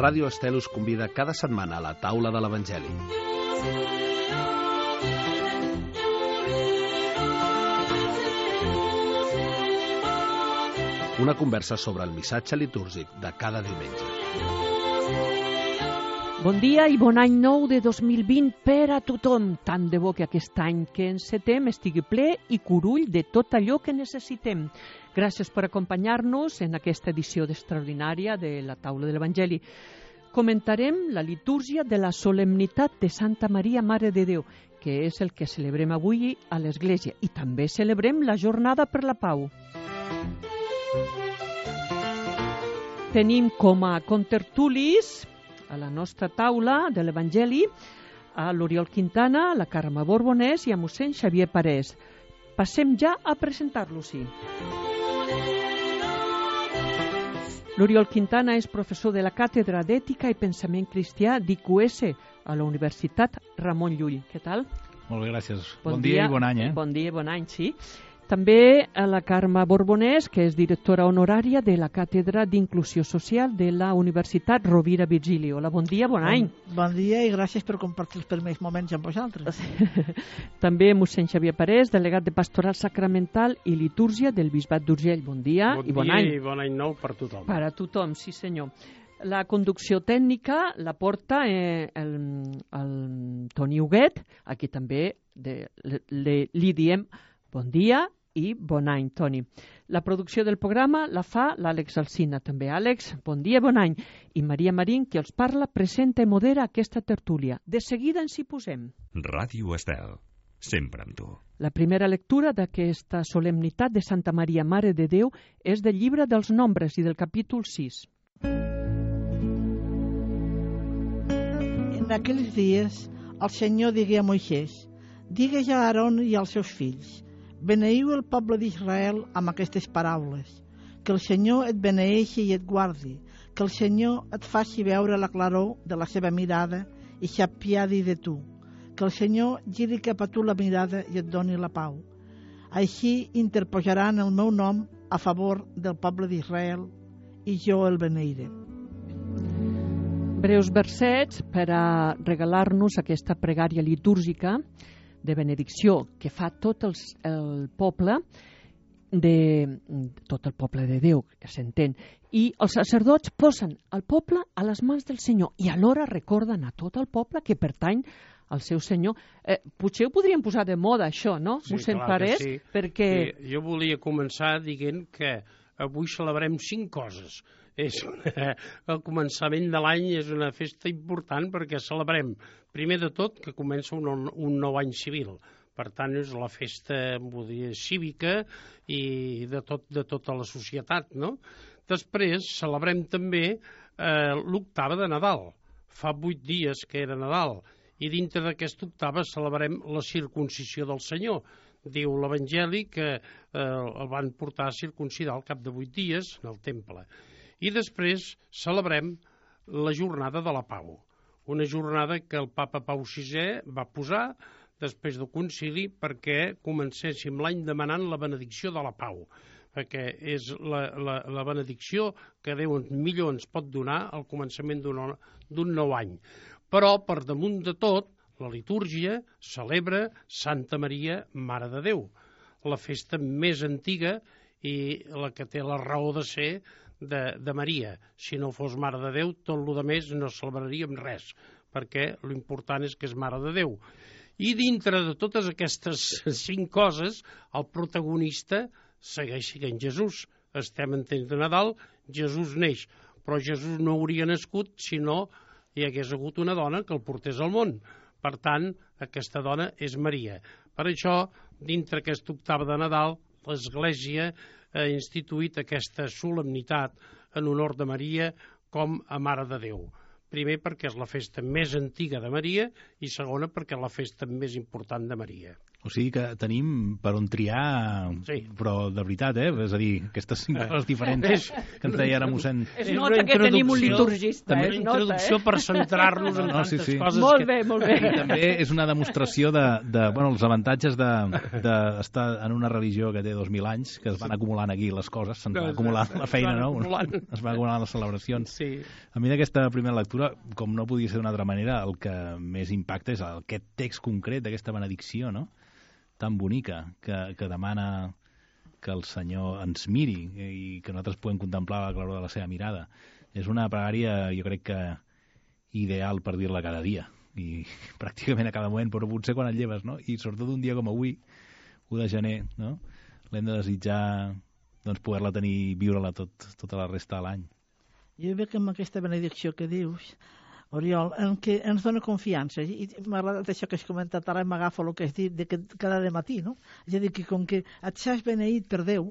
Ràdio Estel us convida cada setmana a la taula de l'Evangeli. Una conversa sobre el missatge litúrgic de cada diumenge. Bon dia i bon any nou de 2020 per a tothom. Tant de bo que aquest any que encetem estigui ple i curull de tot allò que necessitem. Gràcies per acompanyar-nos en aquesta edició extraordinària de la Taula de l'Evangeli. Comentarem la litúrgia de la solemnitat de Santa Maria, Mare de Déu, que és el que celebrem avui a l'Església. I també celebrem la Jornada per la Pau. Tenim com a contertulis a la nostra taula de l'Evangeli a l'Oriol Quintana, la Carme Borbonès i a mossèn Xavier Parés. Passem ja a presentar-los-hi. L'Oriol Quintana és professor de la Càtedra d'Ètica i Pensament Cristià d'IQS a la Universitat Ramon Llull. Què tal? Molt bé, gràcies. Bon dia i bon any, Bon dia i bon any, sí. També a la Carme Borbonès, que és directora honorària de la Càtedra d'Inclusió Social de la Universitat Rovira Virgili. Hola, bon dia, bon any. Bon dia i gràcies per compartir els primers moments amb vosaltres. També mossèn Xavier Parés, delegat de Pastoral Sacramental i Litúrgia del Bisbat d'Urgell. Bon dia i bon any. Bon dia i bon any nou per tothom. Per a tothom, sí senyor. La conducció tècnica la porta el Toni Huguet, aquí també li diem bon dia i bon any, Toni. La producció del programa la fa l'Àlex Alsina. També, Àlex, bon dia, bon any. I Maria Marín, qui els parla, presenta i modera aquesta tertúlia. De seguida ens hi posem. Ràdio Estel, sempre amb tu. La primera lectura d'aquesta solemnitat de Santa Maria, Mare de Déu, és del llibre dels Nombres i del capítol 6. En aquells dies, el Senyor digué a Moisès: digues a Aaron i als seus fills: beneiu el poble d'Israel amb aquestes paraules. Que el Senyor et beneeixi i et guardi. Que el Senyor et faci veure la claror de la seva mirada i s'apiadi de tu. Que el Senyor giri cap a tu la mirada i et doni la pau. Així interposaran el meu nom a favor del poble d'Israel i jo el beneiré. Breus versets per a regalar-nos aquesta pregària litúrgica de benedicció que fa tot el poble de Déu, que s'entén. I els sacerdots posen el poble a les mans del Senyor i alhora recorden a tot el poble que pertany al seu Senyor. Potser ho podríem posar de moda, això, no? Sí, mossèn clar Parés, que sí. perquè... Jo volia començar dient que avui celebrem 5 coses. El començament de l'any és una festa important perquè celebrem, primer de tot, que comença un nou any civil. Per tant, és la festa cívica i de tota la societat, no? Després celebrem també l'octava de Nadal. Fa 8 dies que era Nadal i dintre d'aquesta octava celebrem la circuncisió del Senyor. Diu l'Evangeli que el van portar a circuncidar al cap de 8 dies en el temple. I després celebrem la Jornada de la Pau, una jornada que el papa Pau VI va posar després del concili perquè comencéssim l'any demanant la benedicció de la pau, perquè és la benedicció que Déu millor ens pot donar al començament d'un nou any. Però, per damunt de tot, la litúrgia celebra Santa Maria, Mare de Déu, la festa més antiga i la que té la raó de ser de Maria. Si no fos Mare de Déu, tot el que més no celebraríem res, perquè l'important és que és Mare de Déu. I dintre de totes aquestes 5 coses, el protagonista segueix sent Jesús. Estem en temps de Nadal, Jesús neix, però Jesús no hauria nascut si no hi hagués hagut una dona que el portés al món. Per tant, aquesta dona és Maria. Per això, dintre aquesta octava de Nadal, l'Església ha instituït aquesta solemnitat en honor de Maria com a Mare de Déu. Primer perquè és la festa més antiga de Maria i segona perquè és la festa més important de Maria. O sigui que tenim per on triar, però de veritat, és a dir, aquestes 5 coses diferents que ens deia ara mossèn. Es nota que tenim un liturgista. També una introducció per centrar-nos en tantes coses. Molt bé, molt bé. I també és una demostració els avantatges d'estar en una religió que té 2.000 anys, que es van acumulant aquí les coses, se'n va acumulant la feina, no? Es va acumulant les celebracions. A mi d'aquesta primera lectura, com no podia ser d'una altra manera, el que més impacta és aquest text concret d'aquesta benedicció, no?, tan bonica, que demana que el Senyor ens miri i que nosaltres podem contemplar la claror de la seva mirada. És una pregària, jo crec que ideal per dir-la cada dia, i pràcticament a cada moment, però potser quan et lleves, no? I sobretot un dia com avui, 1 de gener, no? L'hem de desitjar poder-la tenir i viure-la tota la resta de l'any. Jo veig que amb aquesta benedicció que dius, Oriol, en què ens dona confiança, i m'ha agradat això que has comentat, ara m'agafa el que has dit de que cada matí, no? És a dir, que com que et saps beneït per Déu,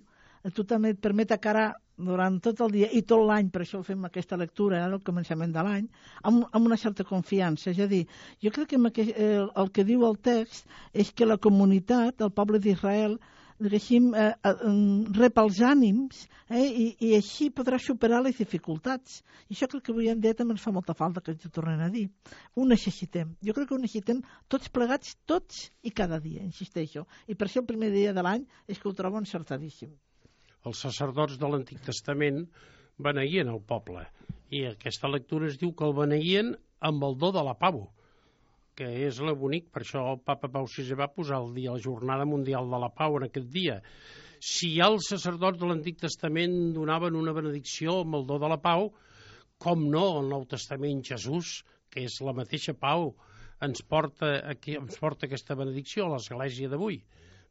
tu també et permet encarar durant tot el dia i tot l'any, per això fem aquesta lectura al començament de l'any, amb una certa confiança. És a dir, jo crec que el que diu el text és que la comunitat, el poble d'Israel, diguéssim, rep els ànims i així podrà superar les dificultats. I això crec que avui en dia també ens fa molta falta que ens ho tornem a dir. Ho necessitem. Jo crec que ho necessitem tots plegats, tots i cada dia, insisteixo. I per això el primer dia de l'any és que ho trobo encertadíssim. Els sacerdots de l'Antic Testament beneïen el poble. I aquesta lectura es diu que el beneïen amb el do de la pau, que és la bonic, per això el papa Pau VI va posar el dia, la Jornada Mundial de la Pau en aquest dia. Si ja els sacerdots de l'Antic Testament donaven una benedicció amb el do de la pau, com no el Nou Testament Jesús, que és la mateixa pau, ens porta aquesta benedicció a l'Església d'avui.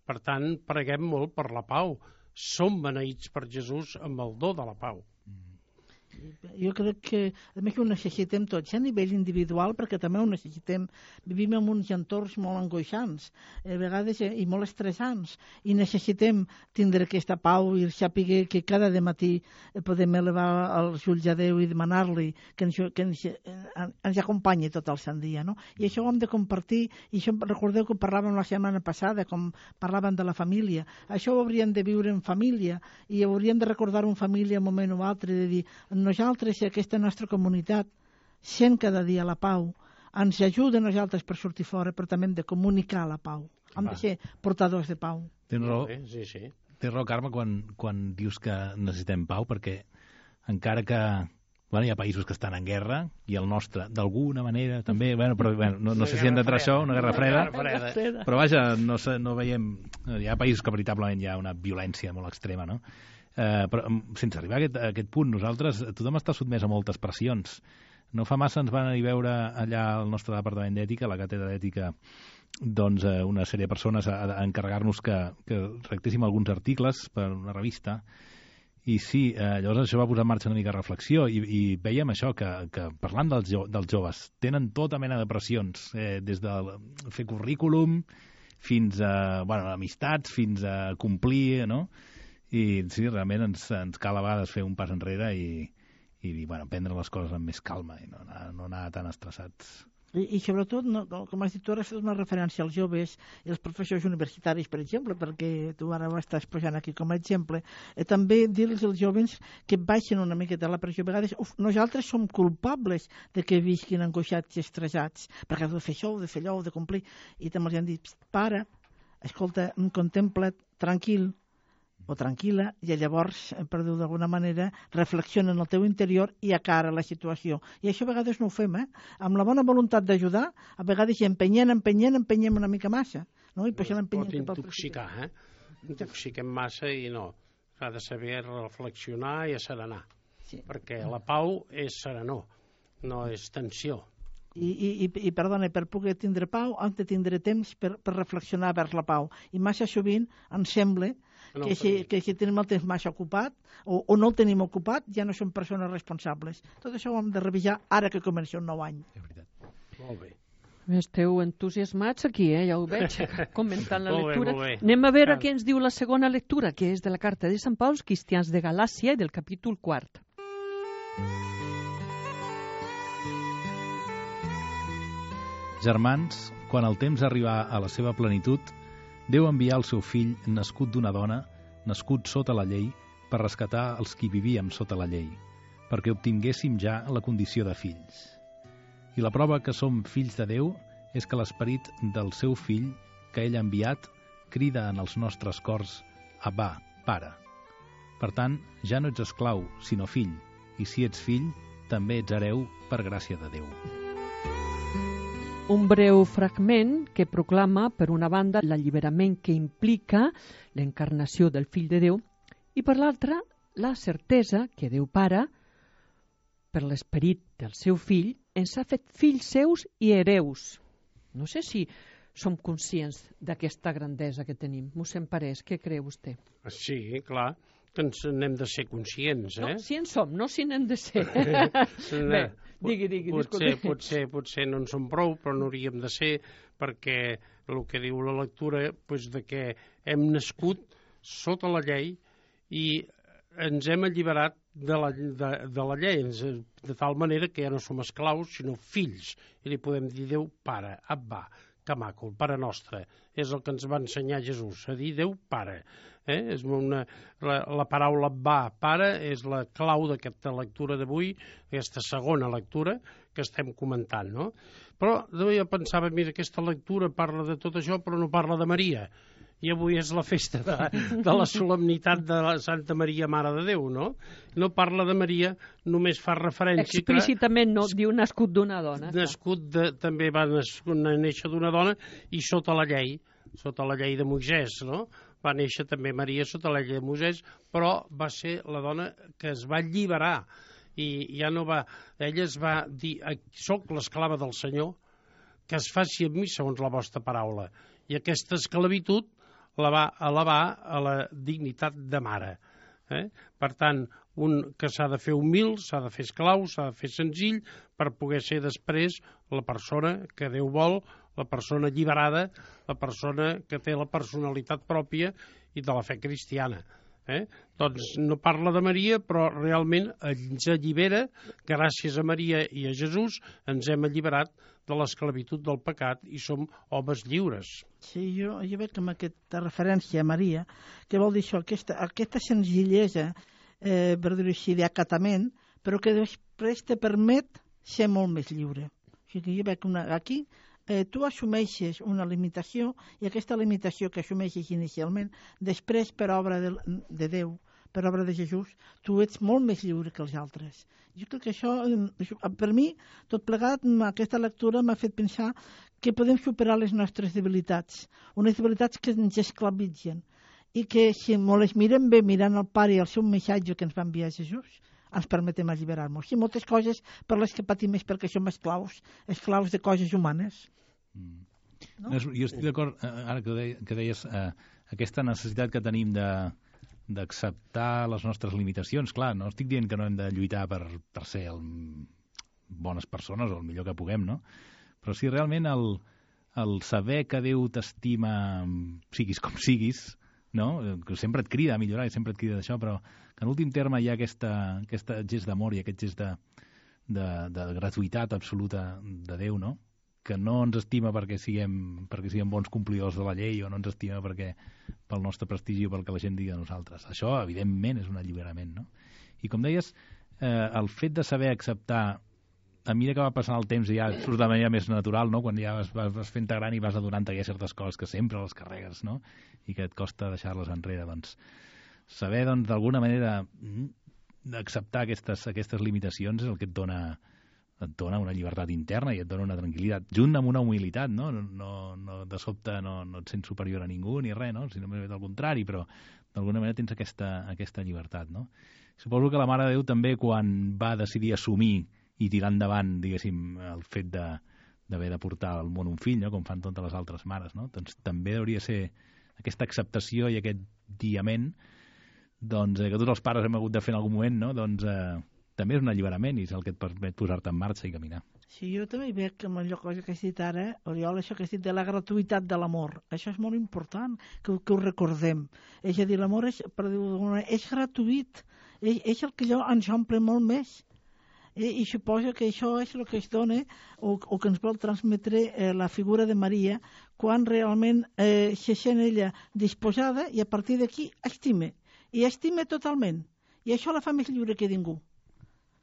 Per tant, preguem molt per la pau. Som beneïts per Jesús amb el do de la pau. Jo crec que, a més, ho necessitem tots, a nivell individual, perquè també ho necessitem. Vivim en uns entorns molt angoixants, a vegades i molt estressants, i necessitem tindre aquesta pau i saber que cada matí podem elevar els ulls a Déu i demanar-li que ens acompanyi tot el sant dia, no? I això ho hem de compartir, i això recordeu que parlàvem la setmana passada, com parlàvem de la família. Això ho hauríem de viure en família, i hauríem de recordar en família un moment o altre, de dir, nosaltres i aquesta nostra comunitat sent cada dia la pau, ens ajuda a nosaltres per sortir fora, però també hem de comunicar la pau. Hem de ser portadors de pau. Tens raó, sí. Tens raó, Carme, quan dius que necessitem pau, perquè encara que hi ha països que estan en guerra, i el nostre, d'alguna manera, també, però no sé si hem d'entrar això, una guerra freda, però vaja, no veiem... Hi ha països que veritablement hi ha una violència molt extrema, no? Però sense arribar a aquest punt, tothom està sotmès a moltes pressions. No fa massa ens van anar a veure allà al nostre departament d'ètica, a la càtedra d'ètica, una sèrie de persones a encarregar-nos que redactéssim alguns articles per una revista, i sí, llavors això va posar en marxa una mica de reflexió, i veiem això, que parlant dels joves, tenen tota mena de pressions, des de fer currículum fins a amistats, fins a complir, no? I sí, realment ens cal a vegades fer un pas enrere i prendre les coses amb més calma i no anar tan estressats. I sobretot, com has dit tu, ara has fet una referència als joves i als professors universitaris, per exemple, perquè tu ara ho estàs posant aquí com a exemple, també dir-los als joves que baixen una miqueta la pressió. A vegades nosaltres som culpables de que visquin angoixats i estressats, perquè heu de fer això, heu de fer allò, heu de complir, i també els han dit, para, escolta, contempla't, tranquil, o tranquil·la, i llavors, per dir-ho d'alguna manera, reflexiona en el teu interior i acara la situació. I això a vegades no ho fem, amb la bona voluntat d'ajudar, a vegades empenyem una mica massa, no? I pot intoxicar, intoxiquem massa i no. S'ha de saber reflexionar i asserenar, perquè la pau és serenor, no és tensió. I perdona, per poder tindre pau hem de tindre temps per reflexionar vers la pau, i massa sovint ens sembla que si tenim el temps massa ocupat o no el tenim ocupat ja no som persones responsables. Tot això ho hem de revisar ara que comença un nou any. Molt bé. Esteu entusiasmats aquí, ja ho veig, comentant la lectura. Molt bé. Anem a veure què ens diu la segona lectura, que és de la carta de Sant Pau als cristians de Galàcia i del capítol 4. Germans, quan el temps arribà a la seva plenitud, Déu envià el seu fill, nascut d'una dona, nascut sota la llei, per rescatar els qui vivíem sota la llei, perquè obtinguéssim ja la condició de fills. I la prova que som fills de Déu és que l'esperit del seu fill, que ell ha enviat, crida en els nostres cors, Abba, Pare. Per tant, ja no ets esclau, sinó fill, i si ets fill, també ets hereu per gràcia de Déu. Un breu fragment que proclama, per una banda, l'alliberament que implica l'encarnació del Fill de Déu i, per l'altra, la certesa que Déu Pare, per l'esperit del seu fill, ens ha fet fills seus i hereus. No sé si som conscients d'aquesta grandesa que tenim. Mossèn Parés, què creu vostè? Sí, clar, que ens n'hem de ser conscients, No, si en som, no si n'hem de ser. Bé, digui, potser no en som prou, però no hauríem de ser, perquè el que diu la lectura, de que hem nascut sota la llei i ens hem alliberat de la llei, de tal manera que ja no som esclaus, sinó fills, i li podem dir Déu Pare, Abba, que maco, el Pare Nostre. És el que ens va ensenyar Jesús, a dir Déu Pare. És la paraula Abba, Pare, és la clau d'aquesta lectura d'avui, aquesta segona lectura que estem comentant, no? Però jo pensava, mira, aquesta lectura parla de tot això, però no parla de Maria. I avui és la festa de la solemnitat de la Santa Maria, Mare de Déu, no? No parla de Maria, només fa referència... Explícitament no, diu nascut d'una dona. També va néixer d'una dona i sota la llei de Moisès, no? Va néixer també Maria sota la llei de Moisès, però va ser la dona que es va alliberar i ja no va... Ella es va dir, soc l'esclava del Senyor, que es faci amb mi segons la vostra paraula. I aquesta esclavitud la va elevar a la dignitat de mare. Per tant, un que s'ha de fer humil, s'ha de fer esclau, s'ha de fer senzill, per poder ser després la persona que Déu vol, la persona alliberada, la persona que té la personalitat pròpia i de la fe cristiana. Doncs no parla de Maria, però realment ens allibera, gràcies a Maria i a Jesús, ens hem alliberat de l'esclavitud del pecat i som homes lliures. Sí, jo veig amb aquesta referència a Maria, que vol dir això, aquesta senzillesa, per dir-ho així, d'acatament, però que després te permet ser molt més lliure. O sigui, jo veig aquí, tu assumeixes una limitació i aquesta limitació que assumeixes inicialment, després per obra de Déu, per obra de Jesús, tu ets molt més lliure que els altres. Jo crec que això, per mi, tot plegat, aquesta lectura m'ha fet pensar que podem superar les nostres debilitats, unes debilitats que ens esclavitzen i que si les mirem bé mirant el Pare i el seu missatge que ens va enviar Jesús, ens permetem alliberar-nos. I moltes coses per les que patim és perquè som esclaus de coses humanes. No? Jo estic d'acord, ara que deies, aquesta necessitat que tenim d'acceptar les nostres limitacions. Clar, no estic dient que no hem de lluitar per ser bones persones o el millor que puguem, no? Però sí, realment, el saber que Déu t'estima, siguis com siguis, no? Que sempre et crida a millorar i sempre et crida d'això, però que en últim terme hi ha aquest gest d'amor i aquest gest de gratuïtat absoluta de Déu, no? Que no ens estima perquè siguem bons complidors de la llei o no ens estima pel nostre prestigi o pel que la gent digui de nosaltres. Això, evidentment, és un alliberament, no? I com deies, el fet de saber acceptar, a mesura que va passant el temps i ja surt de manera més natural, no? Quan ja vas fent-te gran i vas adonant-te que hi ha certes coses que sempre les carregues, no? I que et costa deixar-les enrere, doncs saber, doncs, d'alguna manera acceptar aquestes limitacions és el que et dona una llibertat interna i et dona una tranquil·litat, junt amb una humilitat, no? De sobte no et sents superior a ningú ni res, no? Sinó més al contrari, però d'alguna manera tens aquesta llibertat, no? Suposo que la Mare de Déu també, quan va decidir assumir i tirar endavant, diguéssim, el fet d'haver de portar al món un fill, no? Com fan totes les altres mares, no? Doncs també hauria de ser aquesta acceptació i aquest diament, doncs, que tots els pares hem hagut de fer en algun moment, no? Doncs també és un alliberament i és el que et permet posar-te en marxa i caminar. Sí, jo també veig que amb allò cosa que has dit ara, Oriol, això que has dit de la gratuïtat de l'amor, això és molt important que ho recordem. És a dir, l'amor és gratuït, és el que ens omple molt més. I suposo que això és el que es dona o que ens vol transmetre la figura de Maria quan realment se sent ella disposada i a partir d'aquí estime. I estime totalment. I això la fa més lliure que ningú.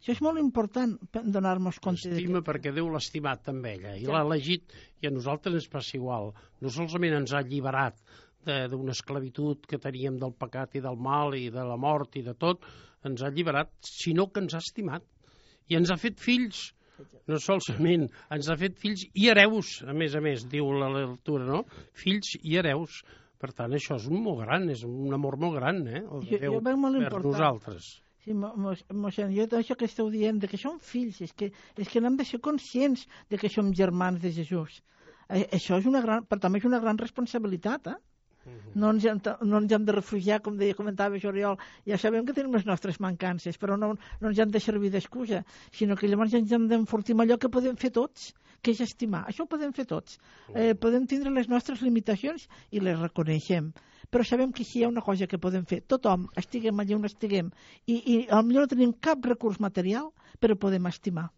Això és molt important donar-nos compte. Estima perquè Déu l'ha estimat també ella i l'ha elegit i a nosaltres ens passa igual. No solament ens ha alliberat d'una esclavitud que teníem del pecat i del mal i de la mort i de tot, ens ha alliberat, sinó que ens ha estimat i ens ha fet fills. No solament ens ha fet fills i hereus, a més, diu la lectura, no? Fills i hereus. Per tant, això és un molt gran, és un amor molt gran, el de Déu per nosaltres. Sí, mossèn, jo això que esteu dient, que som fills, és que n'hem de ser conscients de que som germans de Jesús. Això és però també és una gran responsabilitat, No ens hem de refugiar, com comentava Oriol. Ja sabem que tenim les nostres mancances, però no ens hem de servir d'excusa, sinó que llavors ens hem d'enfortir amb allò que podem fer tots, que és estimar. Això ho podem fer tots. Podem tindre les nostres limitacions i les reconeixem. Però sabem que si hi ha una cosa que podem fer, tothom, estiguem allà on estiguem, i potser no tenim cap recurs material, però podem estimar.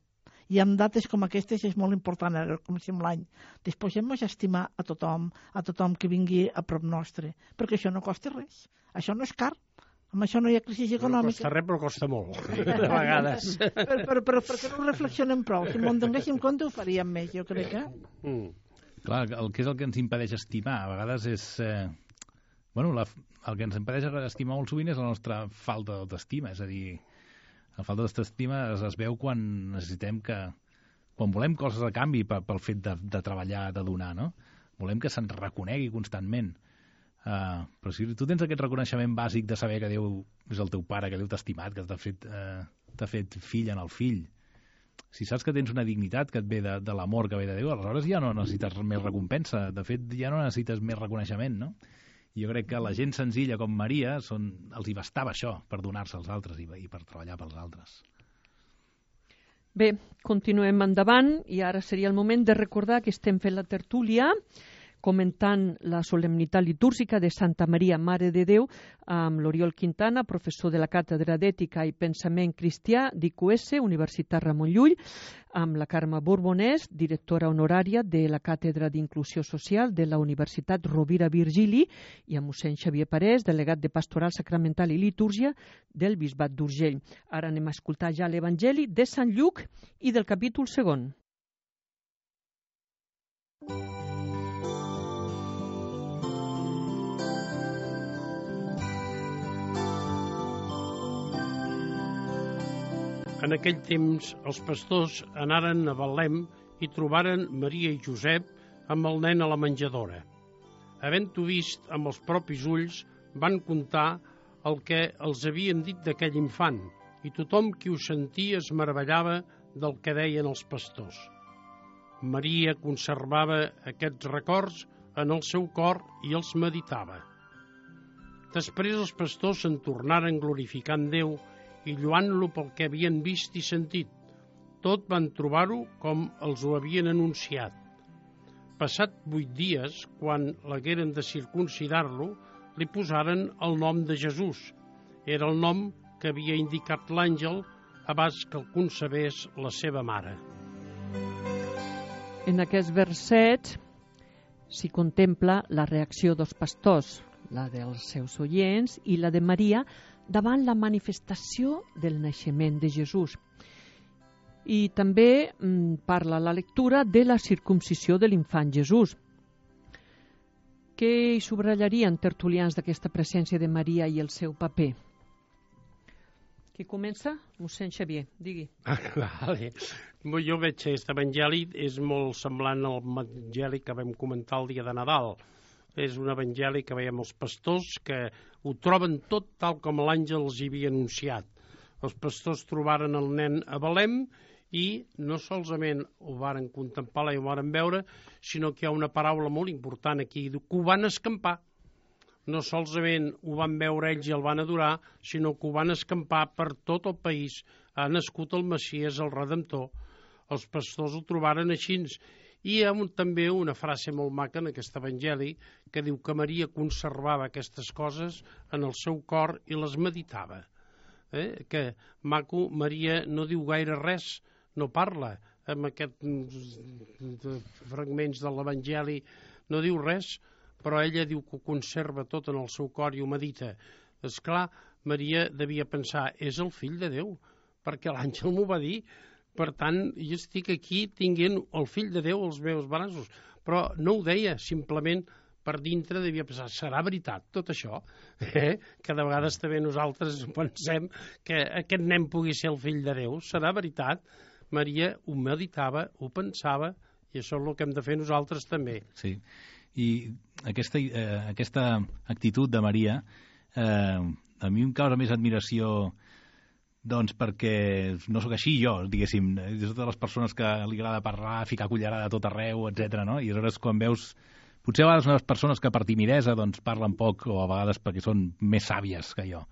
I en dates com aquestes és molt important, comencem l'any. Disposem-nos a estimar a tothom que vingui a prop nostre, perquè això no costa res. Això no és car. Amb això no hi ha crisi econòmica. No costa res, però costa molt, de vegades. Però perquè no reflexionem prou. Si m'ho donéssim compte ho faríem més, jo crec que... Clar, el que és el que ens impedeix estimar, a vegades és... el que ens impedeix estimar molt sovint és la nostra falta d'autoestima, és a dir, la falta d'autoestima es veu quan necessitem quan volem coses a canvi pel fet de treballar, de donar, no? Volem que se'ns reconegui constantment. Però si tu tens aquest reconeixement bàsic de saber que Déu és el teu pare, que Déu t'ha estimat, que t'ha fet fill en el fill, si saps que tens una dignitat que et ve de l'amor que ve de Déu, aleshores ja no necessites més recompensa. De fet, ja no necessites més reconeixement, no? Jo crec que la gent senzilla com Maria els hi bastava això per donar-se als altres i per treballar pels altres. Bé, continuem endavant i ara seria el moment de recordar que estem fent la tertúlia comentant la solemnitat litúrgica de Santa Maria, Mare de Déu, amb l'Oriol Quintana, professor de la Càtedra d'Ètica i Pensament Cristià d'IQS, Universitat Ramon Llull, amb la Carme Borbonès, directora honorària de la Càtedra d'Inclusió Social de la Universitat Rovira Virgili, i amb mossèn Xavier Parés, delegat de Pastoral Sacramental i Litúrgia del Bisbat d'Urgell. Ara anem a escoltar ja l'Evangeli de Sant Lluc i del capítol 2. En aquell temps, els pastors anaren a Betlem i trobaren Maria i Josep amb el nen a la menjadora. Havent-ho vist amb els propis ulls, van contar el que els havien dit d'aquell infant, i tothom qui ho sentia es meravellava del que deien els pastors. Maria conservava aquests records en el seu cor i els meditava. Després els pastors se'n tornaren glorificant Déu i lluant-lo pel que havien vist i sentit. Tot van trobar-ho com els ho havien anunciat. Passat 8 dies, quan l'hagueren de circumcidar-lo, li posaren el nom de Jesús. Era el nom que havia indicat l'àngel abans que el concebés la seva mare. En aquest verset s'hi contempla la reacció dels pastors, la dels seus oients i la de Maria, davant la manifestació del naixement de Jesús. I també parla la lectura de la circumcisió de l'infant Jesús. Què hi subratllarien tertulians d'aquesta presència de Maria i el seu paper? Qui comença? Mossèn Xavier, digui. Vale. Jo veig que aquest evangeli és molt semblant al evangeli que vam comentar el dia de Nadal. És un evangeli que veiem els pastors que ho troben tot tal com l'àngel els hi havia anunciat. Els pastors trobaren el nen a Betlem i no solament ho varen contemplar i ho varen veure, sinó que hi ha una paraula molt important aquí, que ho van escampar. No solament ho van veure ells i el van adorar, sinó que ho van escampar per tot el país. Ha nascut el Messies, el Redemptor. Els pastors ho trobaren així. I hi ha també una frase molt maca en aquest evangeli que diu que Maria conservava aquestes coses en el seu cor i les meditava. Que maco, Maria no diu gaire res, no parla amb aquests fragments de l'evangeli, no diu res, però ella diu que ho conserva tot en el seu cor i ho medita. Esclar, Maria devia pensar, és el fill de Déu, perquè l'àngel m'ho va dir. Per tant, jo estic aquí tinguent el fill de Déu als meus braços. Però no ho deia, simplement per dintre devia pensar, serà veritat tot això? Que de vegades també nosaltres pensem que aquest nen pugui ser el fill de Déu. Serà veritat? Maria ho meditava, ho pensava, i això és el que hem de fer nosaltres també. Sí, i aquesta actitud de Maria a mi em causa més admiració, doncs perquè no sóc així jo, diguéssim, de totes les persones que li agrada parlar, ficar cullerada a tot arreu, etc. No? I aleshores quan veus, potser a vegades unes persones que per timidesa doncs, parlen poc, o a vegades perquè són més sàvies que jo,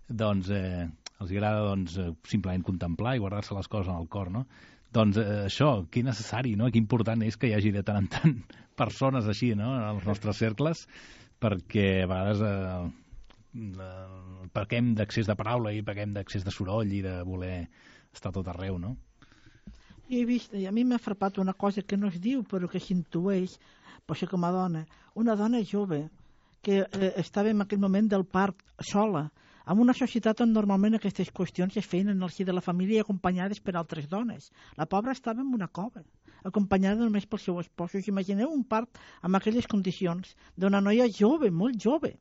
doncs els agrada doncs, simplement contemplar i guardar-se les coses en el cor, no? Doncs això, que necessari, no? Que important és que hi hagi de tant en tant persones així, no?, en els nostres cercles, perquè a vegades pequem d'accés de paraula i pequem d'accés de soroll i de voler estar tot arreu, no? I he vist, i a mi m'ha frapat una cosa que no es diu, però que s'intueix, potser com a dona, una dona jove que estava en aquell moment del part sola, en una societat on normalment aquestes qüestions es feien en el si de la família acompanyades per altres dones. La pobra estava en una cova, acompanyada només pel seu espòs. Imagineu un part amb aquelles condicions d'una noia jove, molt jove.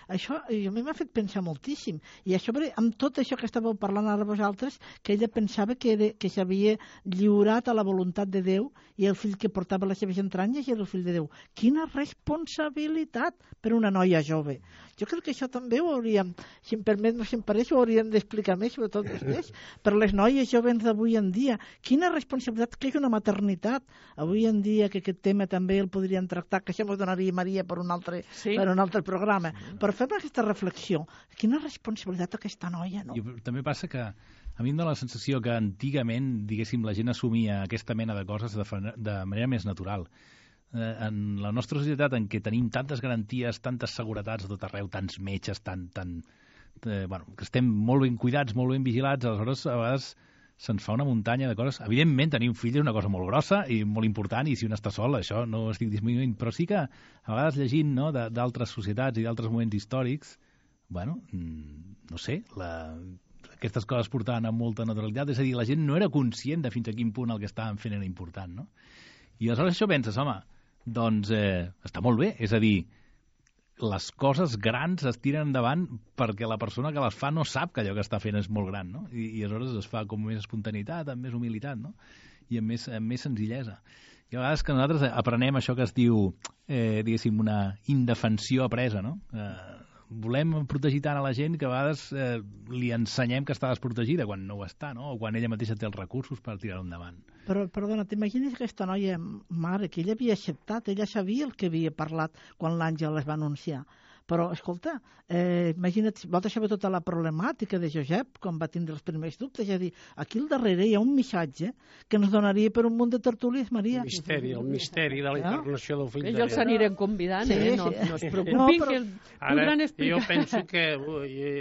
Això a mi m'ha fet pensar moltíssim. I a sobre, amb tot això que estàveu parlant ara vosaltres, que ella pensava que s'havia lliurat a la voluntat de Déu i el fill que portava les seves entranyes era el fill de Déu. Quina responsabilitat per una noia jove. Jo crec que això també ho hauríem, si em permet, no si em pareix, ho hauríem d'explicar més, sobretot vostès, per les noies joves d'avui en dia. Quina responsabilitat que és una maternitat. Avui en dia, que aquest tema també el podríem tractar, que això ens donaria Maria per un altre programa. Però fem aquesta reflexió. Quina responsabilitat aquesta noia, no? I també passa que a mi em dóna la sensació que antigament, diguéssim, la gent assumia aquesta mena de coses de manera més natural. En la nostra societat, en què tenim tantes garanties, tantes seguretats a tot arreu, tants metges, que estem molt ben cuidats, molt ben vigilats, aleshores a vegades se'ns fa una muntanya de coses. Evidentment, tenir un fill és una cosa molt grossa i molt important, i si un està sol, això no ho estic disminuint, però sí que a vegades llegint, no, d'altres societats i d'altres moments històrics, no sé, aquestes coses portaven amb molta naturalitat, és a dir, la gent no era conscient de fins a quin punt el que estaven fent era important, no? I aleshores això penses, home, doncs està molt bé, és a dir, les coses grans es tiren endavant perquè la persona que les fa no sap que allò que està fent és molt gran, no? I aleshores es fa com més espontaneïtat, amb més humilitat, no? I amb més senzillesa. I a vegades que nosaltres aprenem això que es diu, diguéssim, una indefensió apresa, no? Volem protegir tant a la gent que a vegades li ensenyem que està desprotegida quan no ho està, no? O quan ella mateixa té els recursos per tirar-ho endavant. Però, perdona, t'imagines aquesta noia mare, que ella havia acceptat, ella sabia el que havia parlat quan l'Àngel es va anunciar. Però, escolta, imagina't, vols saber tota la problemàtica de Josep quan va tindre els primers dubtes, és a dir, aquí al darrere hi ha un missatge que ens donaria per un munt de tertúlies, Maria. El misteri de la encarnació del fill de Déu. Ells s'aniran convidant, no es preocupin, que podran explicar. Jo penso que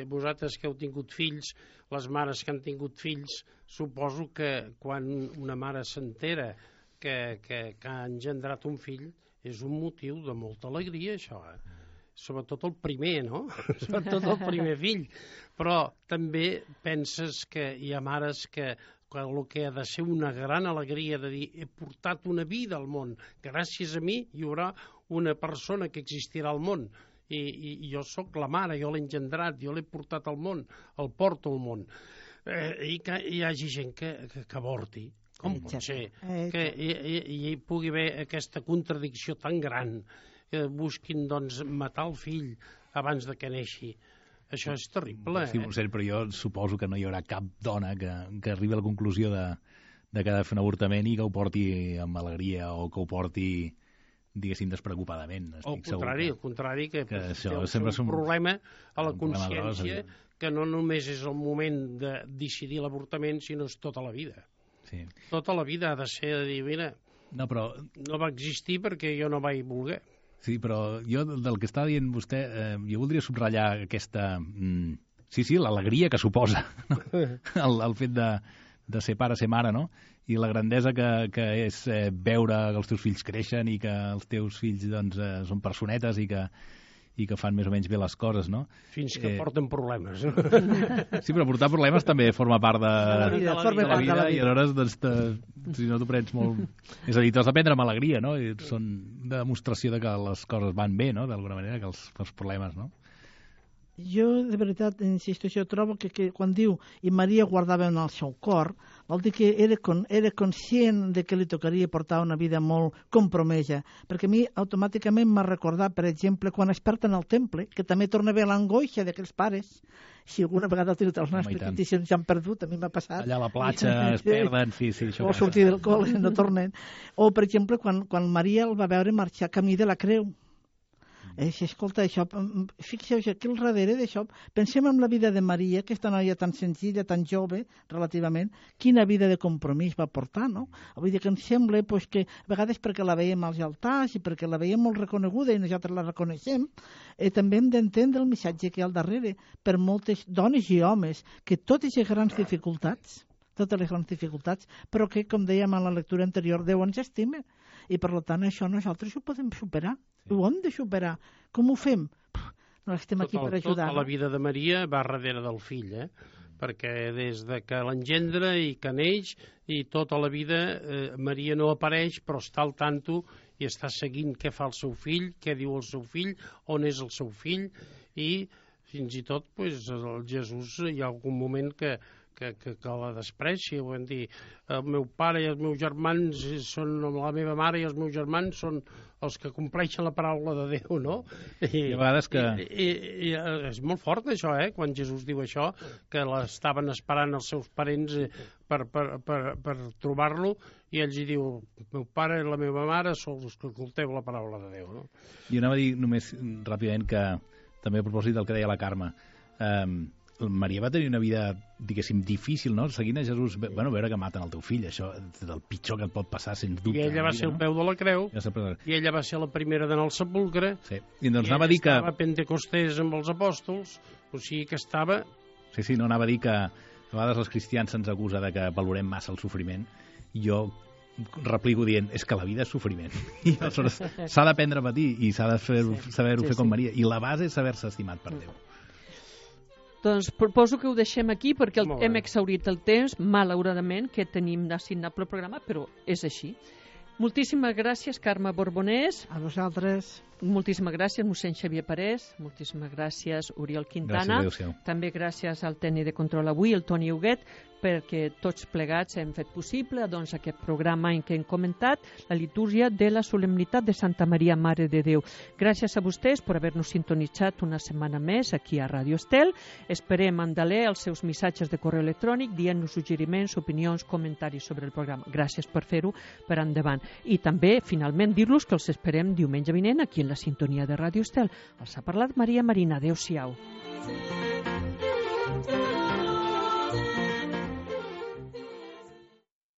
vosaltres que heu tingut fills, les mares que han tingut fills, suposo que quan una mare s'entera que ha engendrat un fill, és un motiu de molta alegria, això, sobretot el primer, no? Sobretot el primer fill. Però també penses que hi ha mares que el que ha de ser una gran alegria de dir he portat una vida al món, gràcies a mi hi haurà una persona que existirà al món, i jo sóc la mare, jo l'he engendrat, jo l'he portat al món, el porto al món, i que hi hagi gent que avorti. Com pot ser que hi pugui haver aquesta contradicció tan gran, que busquin doncs, matar el fill abans de que neixi? Això és terrible. Sí, però jo suposo que no hi haurà cap dona que arribi a la conclusió de que ha de fer un avortament i que ho porti amb alegria o que ho porti, diguéssim, despreocupadament. Al contrari, que això té un problema a la consciència que no només és el moment de decidir l'avortament, sinó és tota la vida. Sí. Tota la vida ha de ser de dir, mira, no va existir perquè jo no vaig voler. Sí, però jo del que està dient vostè, jo voldria subratllar aquesta... Sí, l'alegria que suposa el fet de ser pare, ser mare, no? I la grandesa que és veure que els teus fills creixen i que els teus fills doncs, són personetes i que fan més o menys bé les coses, no? Fins que porten problemes. Sí, però portar problemes també forma part de la vida i aleshores doncs, si no t'ho prens molt... És a dir, t'has de prendre amb alegria, no? I són de demostració de que les coses van bé, no? D'alguna manera, que els problemes, no? Jo, de veritat, insisto, jo trobo que quan diu i Maria guardava en el seu cor, vol dir que era conscient de que li tocaria portar una vida molt compromesa, perquè a mi automàticament m'ha recordat, per exemple, quan es perden al temple, que també torna a haver l'angoixa d'aquells pares. Si alguna vegada ha tingut els nostres petits i s'han perdut, a mi m'ha passat. Allà a la platja es perden, sí, això. O sortir del col·le, no tornen. O, per exemple, quan Maria el va veure marxar camí de la creu. Escolta, això, fixeu-vos aquí al darrere d'això, pensem en la vida de Maria, aquesta noia tan senzilla, tan jove, relativament, quina vida de compromís va portar, no? Vull dir que em sembla que a vegades perquè la veiem als altars i perquè la veiem molt reconeguda i nosaltres la reconeixem, també hem d'entendre el missatge que hi ha al darrere per moltes dones i homes, que totes les grans dificultats, però que, com dèiem en la lectura anterior, Déu ens estima. I, per tant, això nosaltres ho podem superar. Ho hem de superar. Com ho fem? No estem aquí per ajudar. Tota la vida de Maria va darrere del fill, perquè des de que l'engendra i que neix i tota la vida Maria no apareix, però està al tanto i està seguint què fa el seu fill, què diu el seu fill, on és el seu fill, i fins i tot el Jesús hi ha algun moment que la desprecia, ho vam dir, el meu pare i els meus germans són, la meva mare i els meus germans són els que compleixen la paraula de Déu, no? I a vegades que... I és molt fort això, quan Jesús diu això, que l'estaven esperant els seus parents per trobar-lo, i ells hi diu, el meu pare i la meva mare són els que oculteu la paraula de Déu, no? Jo anava a dir només ràpidament que, també a propòsit del que deia la Carme, Maria va tenir una vida, diguéssim, difícil, no? Seguint a Jesús, veure que maten el teu fill, això és el pitjor que et pot passar, sens dubte. I ella va ser al peu de la creu, i ella va ser la primera d'anar al sepulcre, sí. I doncs anava a dir que... estava a Pentecostés amb els apòstols, o sigui que estava... Sí, no, anava a dir que a vegades els cristians se'ns acusa de que valorem massa el sofriment, i jo replico dient, és que la vida és sofriment, i aleshores s'ha d'aprendre a patir, i s'ha de saber-ho fer com Maria, i la base és saber-se estimat per Déu. Doncs proposo que ho deixem aquí perquè hem exhaurit el temps, malauradament, que tenim assignat pel programa, però és així. Moltíssimes gràcies, Carme Borbonès. A vosaltres. Moltíssimes gràcies, mossèn Xavier Parés. Moltíssimes gràcies, Oriol Quintana. Gràcies, també gràcies al tècnic de control avui, el Toni Huguet, perquè tots plegats hem fet possible aquest programa en què hem comentat la litúrgia de la solemnitat de Santa Maria, Mare de Déu. Gràcies a vostès per haver-nos sintonitzat una setmana més aquí a Ràdio Estel. Esperem endaler els seus missatges de correu electrònic dient-nos suggeriments, opinions, comentaris sobre el programa. Gràcies per fer-ho per endavant. I també, finalment, dir-los que els esperem diumenge vinent aquí en la sintonia de Ràdio Estel. Els ha parlat Maria Marina. Adéu-siau.